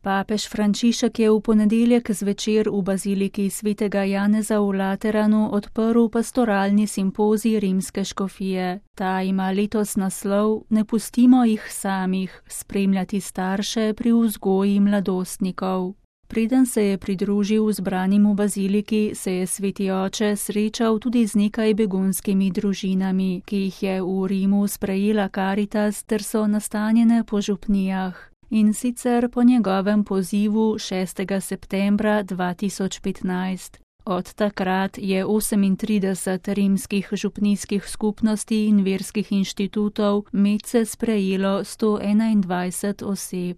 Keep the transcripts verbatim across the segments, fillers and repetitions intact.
Papež Frančišek je v ponedeljek zvečer v baziliki svetega Janeza v Lateranu odprl pastoralni simpozij rimske škofije. Ta ima letos naslov Ne pustimo jih samih, spremljati starše pri vzgoji mladostnikov. Preden se je pridružil zbranim v baziliki, se je sveti oče srečal tudi z nekaj begunskimi družinami, ki jih je v Rimu sprejela Karitas ter so nastanjene po župnijah. In sicer po njegovem pozivu šestega septembra dva tisoč petnajst. Od takrat je osemintrideset rimskih župnijskih skupnosti in verskih inštitutov medse sprejelo sto enaindvajset oseb.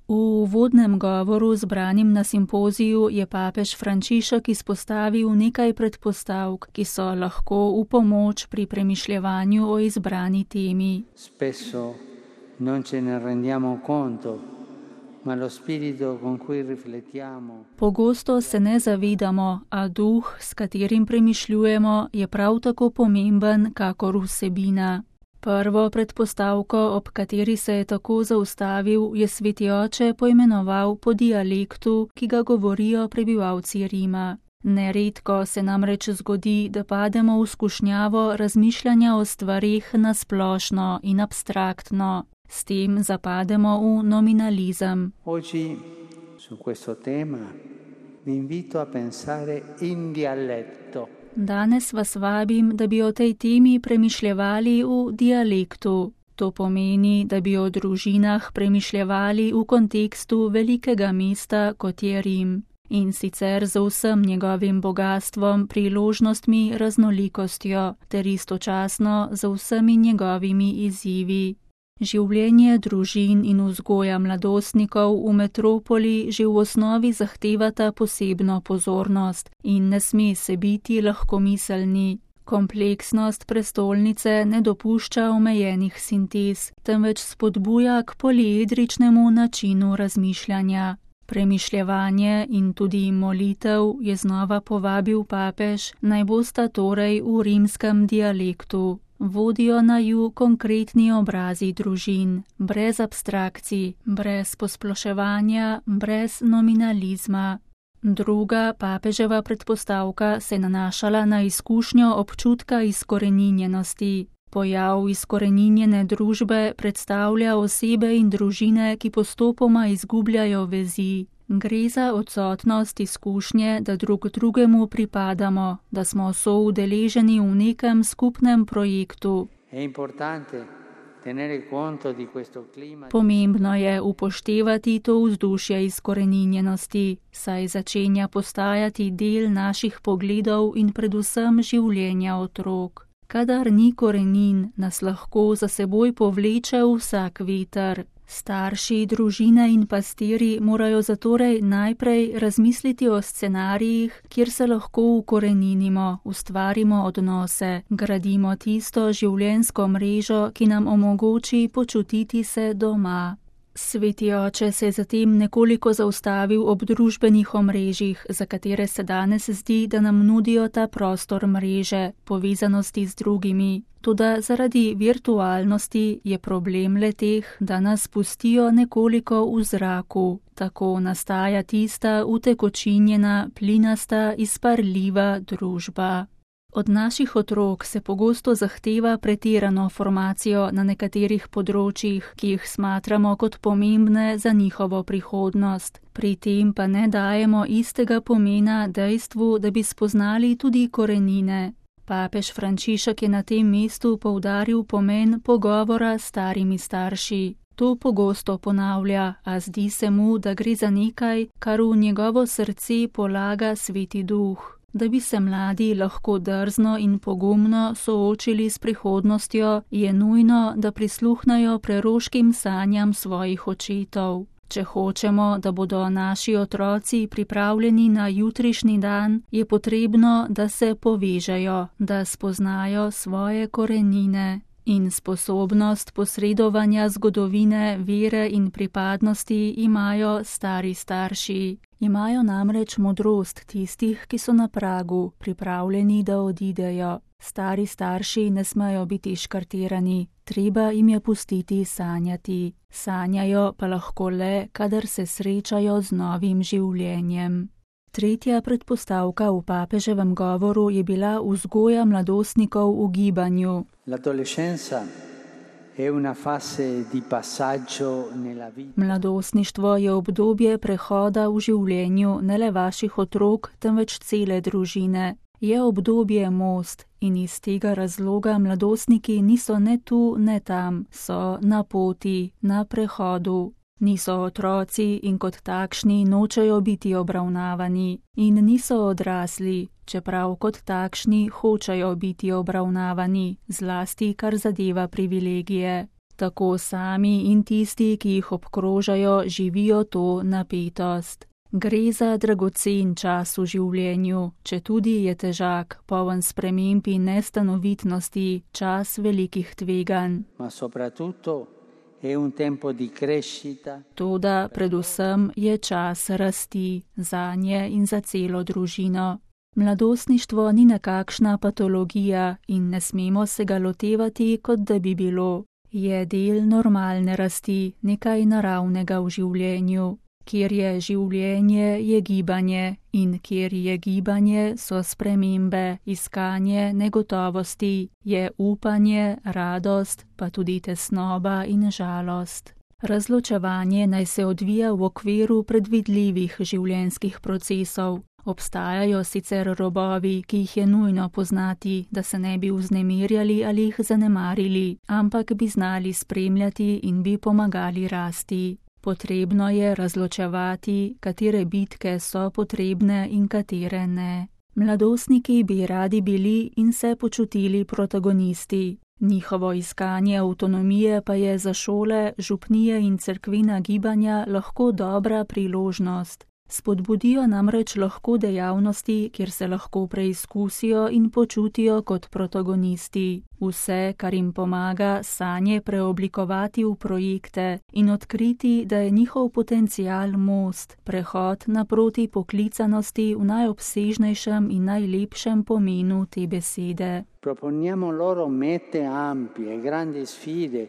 V uvodnem govoru zbranim na simpoziju je papež Frančišek izpostavil nekaj predpostavk, ki so lahko v pomoč pri premišljevanju o izbrani temi. Spesso non ce ne rendiamo conto, ma lo spirito con cui riflettiamo. Pogosto se ne zavedamo, a duh, s katerim premišljujemo, je prav tako pomemben kakor vsebina. Prvo predpostavko, ob kateri se je tako zaustavil, je sveti oče poimenoval po dialektu, ki ga govorijo prebivalci Rima. Neredko se namreč zgodi, da pademo v skušnjavo razmišljanja o stvarih na splošno in abstraktno. S tem zapademo v nominalizem. Oggi su questo tema vi invito a pensare in dialetto. Danes vas vabim, da bi o tej temi premišljevali v dialektu. To pomeni, da bi o družinah premišljevali v kontekstu velikega mesta, kot je Rim. In sicer z vsem njegovim bogatstvom, priložnostmi, raznolikostjo, ter istočasno z vsemi njegovimi izzivi. Življenje družin in vzgoja mladostnikov v metropoli že v osnovi zahtevata posebno pozornost in ne sme se biti lahkomiselni. Kompleksnost prestolnice ne dopušča omejenih sintez, temveč spodbuja k poliedričnemu načinu razmišljanja. Premišljevanje in tudi molitev je znova povabil papež, naj bosta torej v rimskem dialektu. Vodijo naju konkretni obrazi družin, brez abstrakcij, brez posploševanja, brez nominalizma. Druga papeževa predpostavka se nanašala na izkušnjo občutka izkoreninjenosti. Pojav izkoreninjene družbe predstavlja osebe in družine, ki postopoma izgubljajo vezi. Gre za odsotnost izkušnje, da drug drugemu pripadamo, da smo soudeleženi v nekem skupnem projektu. Pomembno je upoštevati to vzdušje izkoreninjenosti, saj začenja postajati del naših pogledov in predvsem življenja otrok. Kadar ni korenin, nas lahko za seboj povleče vsak veter. Starši, družine in pastiri morajo zatorej najprej razmisliti o scenarijih, kjer se lahko ukoreninimo, ustvarimo odnose, gradimo tisto življenjsko mrežo, ki nam omogoči počutiti se doma. Sveti oče se je zatem nekoliko zaustavil ob družbenih omrežjih, za katere se danes zdi, da nam nudijo ta prostor mreže, povezanosti z drugimi. Toda zaradi virtualnosti je problem le-teh, da nas pustijo nekoliko v zraku. Tako nastaja tista utekočinjena, plinasta, izparljiva družba. Od naših otrok se pogosto zahteva pretirano formacijo na nekaterih področjih, ki jih smatramo kot pomembne za njihovo prihodnost. Pri tem pa ne dajemo istega pomena dejstvu, da bi spoznali tudi korenine. Papež Frančišek je na tem mestu poudaril pomen pogovora s starimi starši. To pogosto ponavlja, a zdi se mu, da gre za nekaj, kar v njegovo srce polaga Sveti Duh. Da bi se mladi lahko drzno in pogumno soočili s prihodnostjo, je nujno, da prisluhnajo preroškim sanjam svojih očetov. Če hočemo, da bodo naši otroci pripravljeni na jutrišnji dan, je potrebno, da se povežejo, da spoznajo svoje korenine. In sposobnost posredovanja zgodovine, vere in pripadnosti imajo stari starši. Imajo namreč modrost tistih, ki so na pragu, pripravljeni, da odidejo. Stari starši ne smejo biti škartirani, treba jim je pustiti sanjati. Sanjajo pa lahko le, kadar se srečajo z novim življenjem. Tretja predpostavka v papeževem govoru je bila vzgoja mladostnikov v gibanju. Mladostništvo je obdobje prehoda v življenju ne le vaših otrok, temveč cele družine. Je obdobje most in iz tega razloga mladostniki niso ne tu, ne tam, so na poti, na prehodu. Niso otroci in kot takšni nočejo biti obravnavani in niso odrasli, čeprav kot takšni hočejo biti obravnavani, zlasti kar zadeva privilegije. Tako sami in tisti, ki jih obkrožajo, živijo to napetost. Gre za dragocen čas v življenju, četudi je težak, poln sprememb in nestanovitnosti, čas velikih tveganj. Toda predvsem je čas rasti zanje in za celo družino. Mladostništvo ni nekakšna patologija in ne smemo se ga lotevati, kot da bi bilo. Je del normalne rasti, nekaj naravnega v življenju. Kjer je življenje, je gibanje in kjer je gibanje, so spremembe, iskanje negotovosti, je upanje, radost, pa tudi tesnoba in žalost. Razločevanje naj se odvija v okviru predvidljivih življenjskih procesov. Obstajajo sicer robovi, ki jih je nujno poznati, da se ne bi vznemirjali ali jih zanemarili, ampak bi znali spremljati in bi pomagali rasti. Potrebno je razločevati, katere bitke so potrebne in katere ne. Mladostniki bi radi bili in se počutili protagonisti. Njihovo iskanje avtonomije pa je za šole, župnije in cerkvena gibanja lahko dobra priložnost. Spodbudijo namreč lahko dejavnosti, kjer se lahko preizkusijo in počutijo kot protagonisti. Vse, kar jim pomaga, sanje preoblikovati v projekte in odkriti, da je njihov potencial most, prehod naproti poklicanosti v najobsežnejšem in najlepšem pomenu te besede. Proponiamo loro mete ampie, grandi sfide.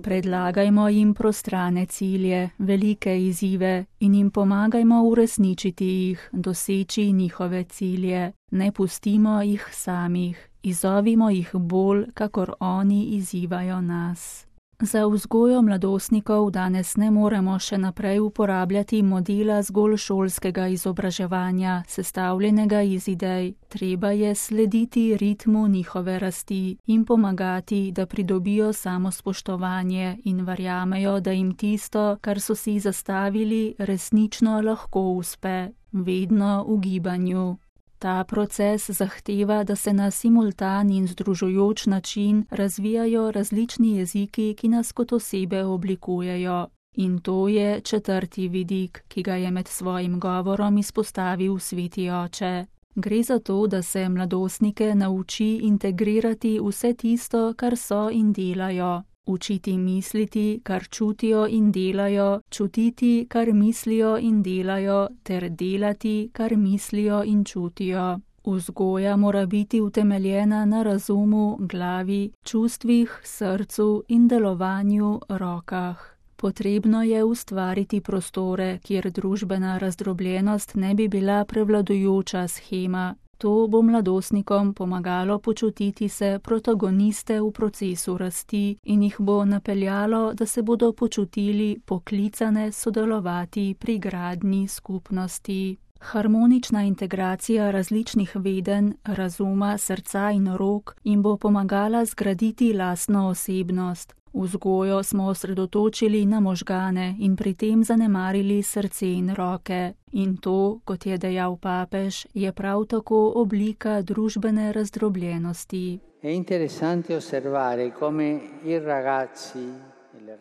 Predlagajmo jim prostrane cilje, velike izzive in jim pomagajmo uresničiti jih, doseči njihove cilje. Ne pustimo jih samih, izzovimo jih bolj, kakor oni izzivajo nas. Za vzgojo mladostnikov danes ne moremo še naprej uporabljati modela zgolj šolskega izobraževanja, sestavljenega iz idej. Treba je slediti ritmu njihove rasti in pomagati, da pridobijo samospoštovanje in verjamejo, da jim tisto, kar so si zastavili, resnično lahko uspe, vedno v gibanju. Ta proces zahteva, da se na simultan in združujoč način razvijajo različni jeziki, ki nas kot osebe oblikujejo. In to je četrti vidik, ki ga je med svojim govorom izpostavil Sveti Oče. Gre za to, da se mladostnike nauči integrirati vse tisto, kar so in delajo. Učiti misliti, kar čutijo in delajo, čutiti, kar mislijo in delajo, ter delati, kar mislijo in čutijo. Vzgoja mora biti utemeljena na razumu, glavi, čustvih, srcu in delovanju, rokah. Potrebno je ustvariti prostore, kjer družbena razdrobljenost ne bi bila prevladujoča shema. To bo mladostnikom pomagalo počutiti se protagoniste v procesu rasti in jih bo napeljalo, da se bodo počutili poklicane sodelovati pri gradnji skupnosti. Harmonična integracija različnih vedenj, razuma, srca in rok jim bo pomagala zgraditi lastno osebnost. Vzgojo smo osredotočili na možgane in pri tem zanemarili srce in roke. In to, kot je dejal papež, je prav tako oblika družbene razdrobljenosti.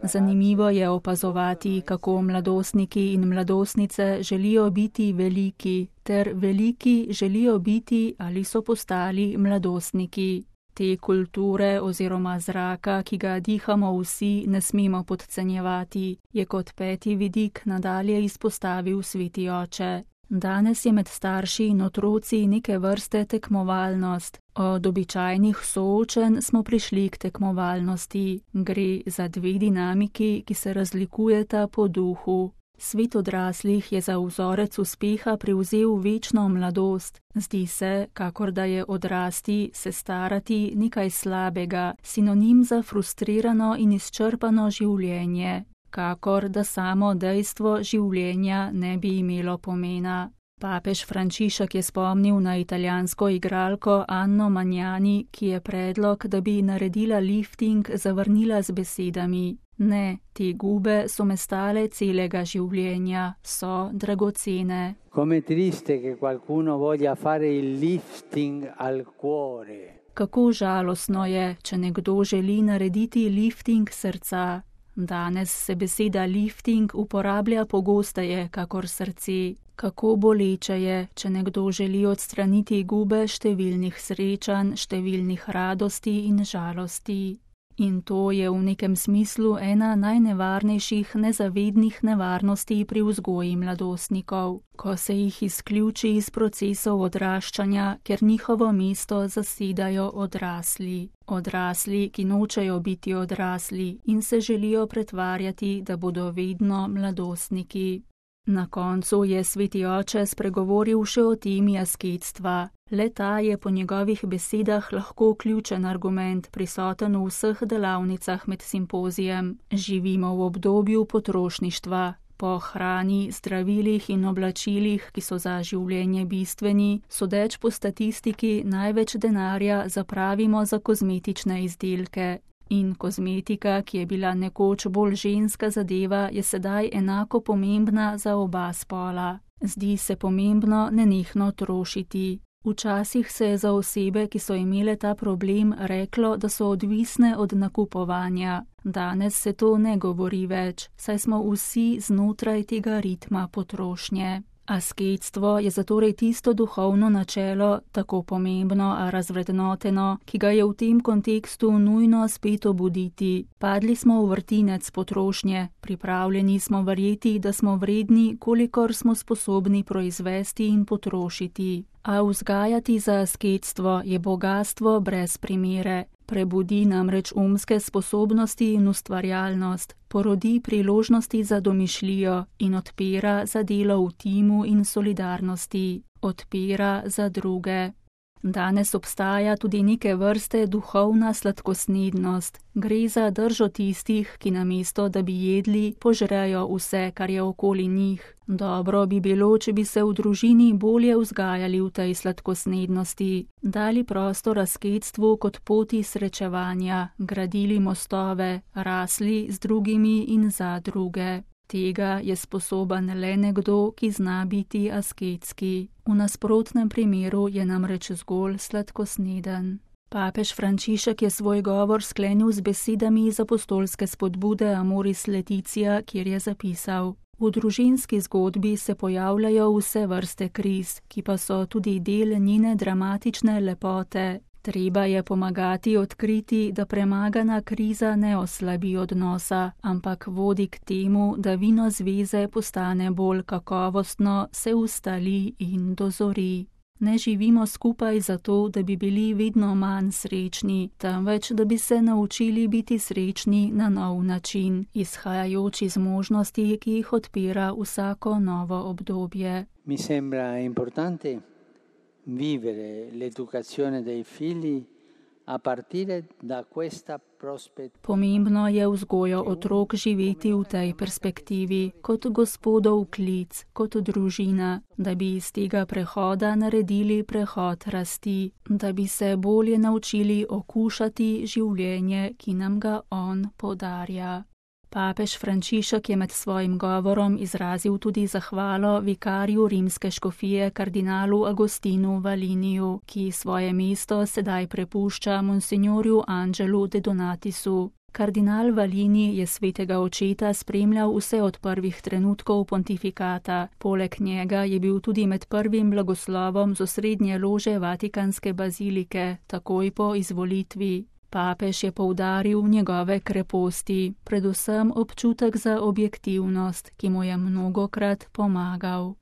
Zanimivo je opazovati, kako mladostniki in mladostnice želijo biti veliki, ter veliki želijo biti ali so postali mladostniki. Te kulture oziroma zraka, ki ga dihamo vsi, ne smemo podcenjevati, je kot peti vidik nadalje izpostavil sveti oče. Danes je med starši in otroci neke vrste tekmovalnost. Od običajnih soočenj smo prišli k tekmovalnosti. Gre za dve dinamiki, ki se razlikujeta po duhu. Svet odraslih je za vzorec uspeha prevzel večno mladost. Zdi se, kakor da je odrasti, se starati nekaj slabega, sinonim za frustrirano in izčrpano življenje. Kakor da samo dejstvo življenja ne bi imelo pomena. Papež Frančišek je spomnil na italijansko igralko Anno Magnani, ki je predlog, da bi naredila lifting, zavrnila z besedami: ne, te gube so me stale celega življenja, so dragocene. Come triste che qualcuno voglia fare il lifting al cuore. Kako žalostno je, če nekdo želi narediti lifting srca. Danes se beseda lifting uporablja pogosteje kakor srce. Kako boleče je, če nekdo želi odstraniti gube številnih srečanj, številnih radosti in žalosti. In to je v nekem smislu ena najnevarnejših nezavednih nevarnosti pri vzgoji mladostnikov, ko se jih izključi iz procesov odraščanja, ker njihovo mesto zasedajo odrasli. Odrasli, ki nočejo biti odrasli in se želijo pretvarjati, da bodo vedno mladostniki. Na koncu je sveti oče spregovoril še o temi asketstva. Le-ta je po njegovih besedah lahko ključen argument, prisoten v vseh delavnicah med simpozijem. Živimo v obdobju potrošništva. Po hrani, zdravilih in oblačilih, ki so za življenje bistveni, sodeč po statistiki največ denarja zapravimo za kozmetične izdelke. In kozmetika, ki je bila nekoč bolj ženska zadeva, je sedaj enako pomembna za oba spola. Zdi se pomembno nenehno trošiti. Včasih se je za osebe, ki so imele ta problem, reklo, da so odvisne od nakupovanja. Danes se to ne govori več, saj smo vsi znotraj tega ritma potrošnje. Asketstvo je zatorej tisto duhovno načelo, tako pomembno, a razvrednoteno, ki ga je v tem kontekstu nujno spet obuditi. Padli smo v vrtinec potrošnje, pripravljeni smo verjeti, da smo vredni, kolikor smo sposobni proizvesti in potrošiti. A vzgajati za asketstvo je bogastvo brez primere. Prebudi namreč umske sposobnosti in ustvarjalnost, porodi priložnosti za domišljijo in odpira za delo v timu in solidarnosti, odpira za druge. Danes obstaja tudi neke vrste duhovna sladkosnednost. Gre za držo tistih, ki namesto, da bi jedli, požrejo vse, kar je okoli njih. Dobro bi bilo, če bi se v družini bolje vzgajali v tej sladkosnednosti, dali prostor asketstvu kot poti srečevanja, gradili mostove, rasli z drugimi in za druge. Tega je sposoben le nekdo, ki zna biti asketski. V nasprotnem primeru je namreč zgolj sladkosneden. Papež Frančišek je svoj govor sklenil z besedami iz apostolske spodbude Amoris Laetitia, kjer je zapisal: v družinski zgodbi se pojavljajo vse vrste kriz, ki pa so tudi del njene dramatične lepote. Treba je pomagati odkriti, da premagana kriza ne oslabi odnosa, ampak vodi k temu, da vino zveze postane bolj kakovostno, se ustali in dozori. Ne živimo skupaj zato, da bi bili vedno manj srečni, temveč da bi se naučili biti srečni na nov način, izhajajoč iz možnosti, ki jih odpira vsako novo obdobje. Mi sembra importante vivere l'educazione dei figli a partire da questa prospettiva. Pomembno je vzgojo otrok živeti v tej perspektivi, kot Gospodov klic, kot družina, da bi iz tega prehoda naredili prehod rasti, da bi se bolje naučili okušati življenje, ki nam ga On podarja. Papež Frančišek je med svojim govorom izrazil tudi zahvalo vikarju rimske škofije kardinalu Agostinu Valiniju, ki svoje mesto sedaj prepušča monsignorju Angelu de Donatisu. Kardinal Valini je svetega očeta spremljal vse od prvih trenutkov pontifikata. Poleg njega je bil tudi med prvim blagoslovom z osrednje lože Vatikanske bazilike, takoj po izvolitvi. Papež je poudaril njegove kreposti, predvsem občutek za objektivnost, ki mu je mnogokrat pomagal.